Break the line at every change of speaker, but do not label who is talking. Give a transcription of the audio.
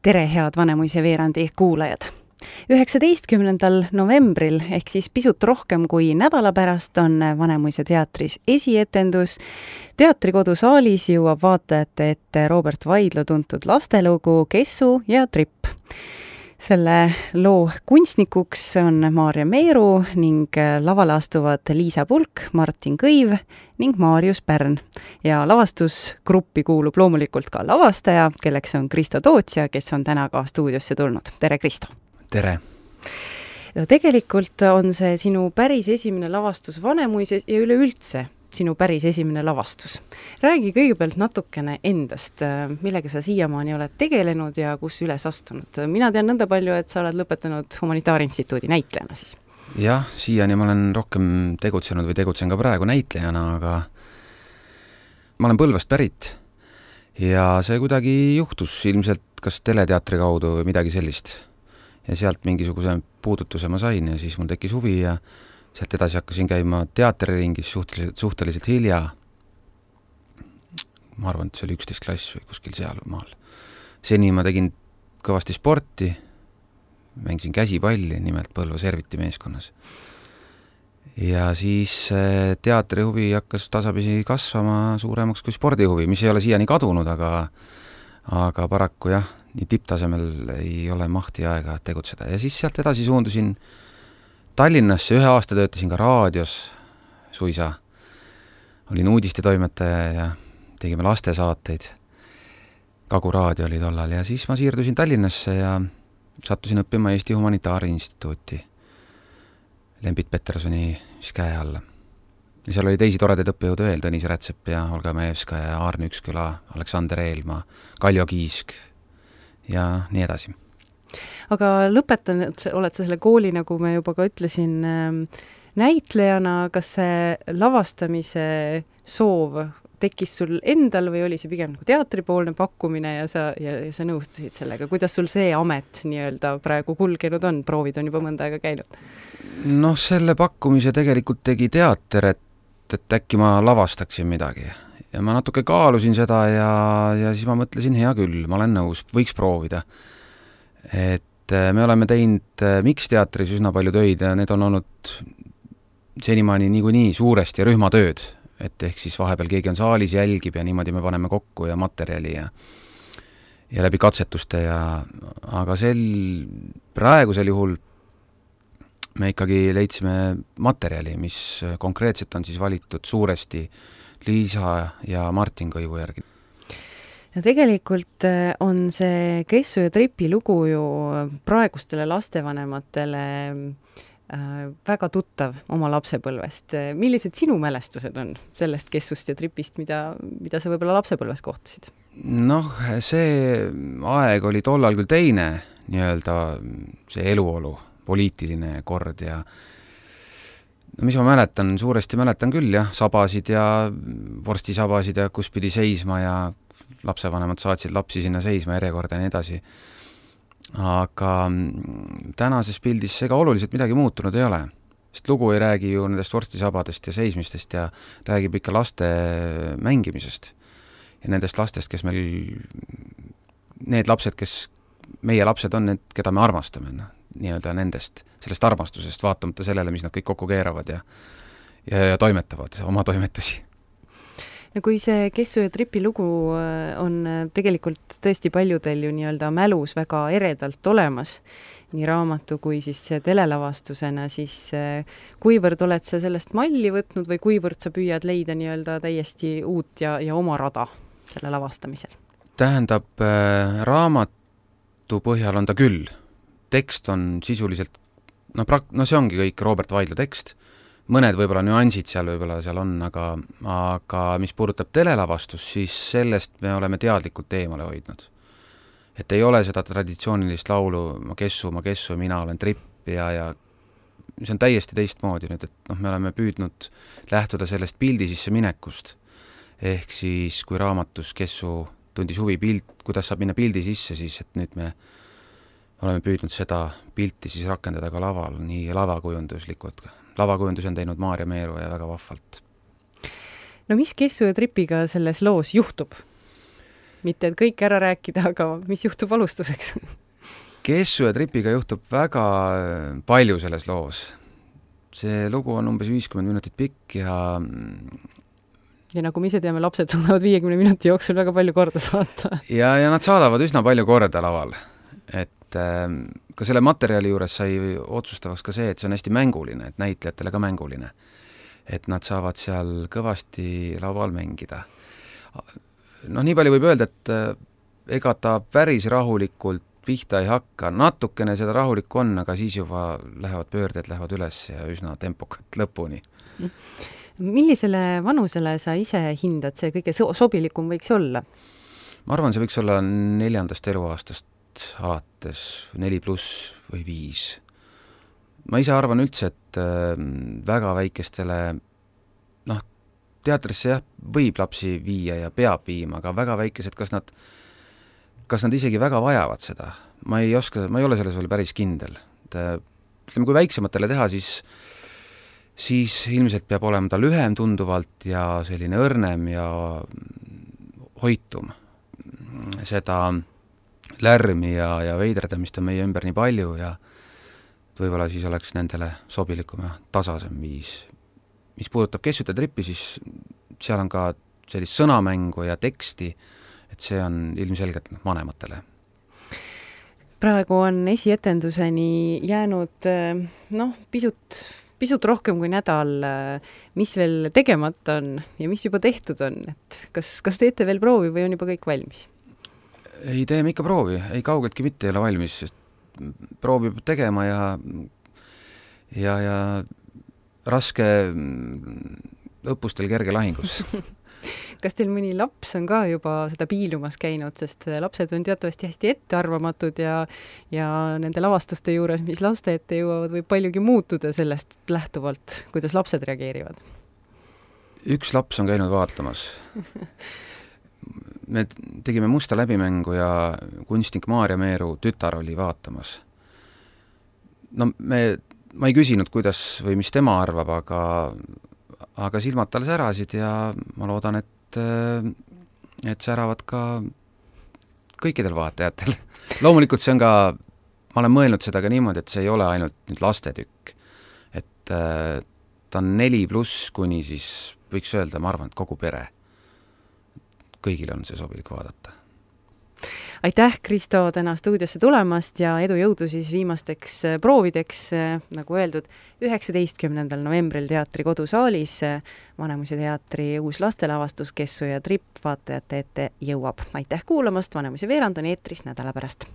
Tere, head Vanemuise veerandi kuulajad! 19. novembril ehk siis pisut rohkem kui nädala pärast on Vanemuise teatris esietendus. Teatrikodu saalis jõuab vaatajate ette Robert Vaidlo tuntud lastelugu Kessu ja Tripp. Selle loo kunstnikuks on Maarja Meeru ning lavale astuvad Liisa Pulk, Martin Kõiv ning Maarjus Pärn. Ja lavastusgruppi kuulub loomulikult ka lavastaja, kelleks on Kristo Tootsja, kes on täna ka stuudiosse tulnud. Tere, Kristo!
Tere!
No, tegelikult on see sinu päris esimene lavastus Vanemuises ja üleüldse sinu päris esimene lavastus. Räägi kõigepealt natukene endast, millega sa siiamaani oled tegelenud ja kus üles astunud. Mina tean nõnda palju, et sa oled lõpetanud Humanitaarinstituudi näitlejana siis.
Jah, siiani ma olen rohkem tegutsenud või tegutsen ka praegu näitlejana, aga ma olen Põlvast pärit ja see kuidagi juhtus ilmselt kas teleteatri kaudu või midagi sellist. Ja sealt mingisuguse puudutuse ma sain ja siis mul tekkis huvi ja sealt edasi hakkasin käima teatriringis suhteliselt hilja. Ma arvan, et see oli 11 klass või kuskil seal maal. Seni ma tegin kõvasti sporti, mängisin käsipalli, nimelt Põlva Serviti meeskonnas. Ja siis teatrihuvi hakkas tasapisi kasvama suuremaks kui spordihuvi, mis ei ole siiani kadunud, aga paraku jah, nii tipptasemel ei ole mahti aega tegutseda. Ja siis sealt edasi suundusin Tallinnasse, 1 aasta töötasin ka raadios suisa. Olin uudistetoimetaja ja tegime lastesaateid. Kagu raadio oli tollal ja siis ma siirdusin Tallinnasse ja sattusin õppima Eesti Humanitaarinstituuti Lembit Petersoni käe alla. Ja seal oli teisi toredaid õppejõude veel, Tõnis Rätsep ja Olga Majevska ja Aarne Üksküla, Aleksander Eelmaa, Kaljo Kiisk ja nii edasi.
Aga lõpetanud oled sa selle kooli, nagu me juba ka ütlesin, näitlejana. Kas see lavastamise soov tekkis sul endal või oli see pigem nagu teatripoolne pakkumine ja sa nõustusid sellega? Kuidas sul see amet nii-öelda praegu kulgenud on? Proovid on juba mõnda aega käinud.
Noh, selle pakkumise tegelikult tegi teater, et äkki ma lavastaksin midagi. Ja ma natuke kaalusin seda ja siis ma mõtlesin, hea küll, ma olen nõus, võiks proovida. Et me oleme teinud Mix-teatris üsna palju töid ja need on olnud senimaani niikuinii suuresti rühmatööd, et ehk siis vahepeal keegi on saalis, jälgib ja niimoodi me paneme kokku ja materjali ja läbi katsetuste aga praegusel juhul me ikkagi leidsime materjali, mis konkreetselt on siis valitud suuresti Liisa ja Martin Kõivu järgi.
Ja tegelikult on see Kessu ja Tripi lugu ju praegustele lastevanematele väga tuttav oma lapsepõlvest. Millised sinu mälestused on sellest Kessust ja Tripist, mida sa võib-olla lapsepõlves kohtasid?
Noh, see aeg oli tollal küll teine, nii-öelda see eluolu, poliitiline kord ja mis ma mäletan, suuresti mäletan küll jah, sabasid ja vorstisabasid ja kus pidi seisma ja lapsevanemad saatsid lapsi sinna seisma järjekorda ja nii edasi. Aga tänases pildis ega oluliselt midagi muutunud ei ole. Sest lugu ei räägi ju nendest vorstisabadest ja seismistest ja räägib ikka laste mängimisest. Ja nendest lastest, kes need lapsed, kes meie lapsed on need, keda me armastame, nii-öelda sellest armastusest, vaatamata sellele, mis nad kõik kokku keeravad ja toimetavad oma toimetusi.
No kui see Kessu ja Tripi lugu on tegelikult tõesti paljudel ju nii-öelda mälus väga eredalt olemas, nii raamatu kui siis telelavastusena, siis kuivõrd oled sa sellest malli võtnud või kuivõrd sa püüad leida nii-öelda täiesti uut ja oma rada selle lavastamisel?
Tähendab, raamatu põhjal on ta küll. Tekst on sisuliselt, see ongi kõik Robert Vaidlo tekst. Mõned võib-olla nüansid seal on, aga mis puudutab telelavastus, siis sellest me oleme teadlikult eemale hoidnud. Et ei ole seda traditsioonilist laulu ma kessu, mina olen Tripp ja see on täiesti teistmoodi nüüd, et me oleme püüdnud lähtuda sellest pildi sisse minekust. Ehk siis, kui raamatus Kessu tundis huvi kuidas saab minna pildi sisse, siis et nüüd me oleme püüdnud seda pilti siis rakendada ka laval, nii lavakujunduslikult. Lavakujundus on teinud Maarja Meeru ja väga vahvalt.
No mis Kessu ja Tripiga selles loos juhtub? mitte et kõik ära rääkida, aga mis juhtub alustuseks?
Kessu ja Tripiga juhtub väga palju selles loos. See lugu on umbes 50 minutit pikk ja
nagu me ise teame, lapsed suudavad 50 minuti jooksul väga palju korda saata.
ja nad saadavad üsna palju korda laval. Et ka selle materjali juures sai otsustavaks ka see, et see on hästi mänguline, et näitlejatele ka mänguline. Et nad saavad seal kõvasti laval mängida. Nii palju võib öelda, et ega ta päris rahulikult pihta ei hakka, natukene seda rahulikku on, aga siis juba pöörded lähevad üles ja üsna tempokalt lõpuni.
Millisele vanusele sa ise hindad see kõige sobilikum võiks olla?
Ma arvan, see võiks olla 4. eluaastast alates 4+ või 5. Ma ise arvan üldse, et väga väikestele, teatrisse jah, võib lapsi viia ja peab viima, aga väga väikesed, kas nad isegi väga vajavad seda? Ma ei ole selles veel päris kindel. Ütleme, kui väiksematele teha, siis ilmselt peab olema ta lühem tunduvalt ja selline õrnem ja hoitum. Seda lärmi ja veiderdamist on meie ümber nii palju ja võib-olla siis oleks nendele sobilikum ja tasasem viis. Mis puudutab Kessut ja Trippi, siis seal on ka sellist sõnamängu ja teksti, et see on ilmselgelt vanematele.
Praegu on esietenduseni jäänud pisut rohkem kui nädal, mis veel tegemata on ja mis juba tehtud on. Et kas teete veel proovi või on juba kõik valmis?
Ei, teeme ikka proovi. Ei kaugeltki mitte ei ole valmis, sest proovi peab tegema ja raske õppustel kerge lahingus.
Kas teil mõni laps on ka juba seda piilumas käinud, sest lapsed on teatavasti hästi ettearvamatud ja nende lavastuste juures, mis laste ette jõuavad, võib paljugi muutuda sellest lähtuvalt, kuidas lapsed reageerivad? Üks
laps on käinud vaatamas. Me tegime Musta läbimängu ja kunstnik Maarja Meeru tütar oli vaatamas. Ma ei küsinud, kuidas või mis tema arvab, aga silmad tal särasid ja ma loodan, et säravad ka kõikidel vaatajatel. Loomulikult see on ka, ma olen mõelnud seda ka niimoodi, et see ei ole ainult nüüd lastetükk. Et ta on 4+ kuni siis võiks öelda, ma arvan, et kogu pere. Kõigil on see sobilik vaadata.
Aitäh, Kristo, täna stuudiosse tulemast ja edu jõudu siis viimasteks proovideks, nagu öeldud, 19. novembril Teatri Kodusaalis Vanemuise teatri uus lastelavastus Kessu ja Tripp vaatajate ette jõuab. Aitäh kuulamast, Vanemuise veerand on eetris nädala pärast.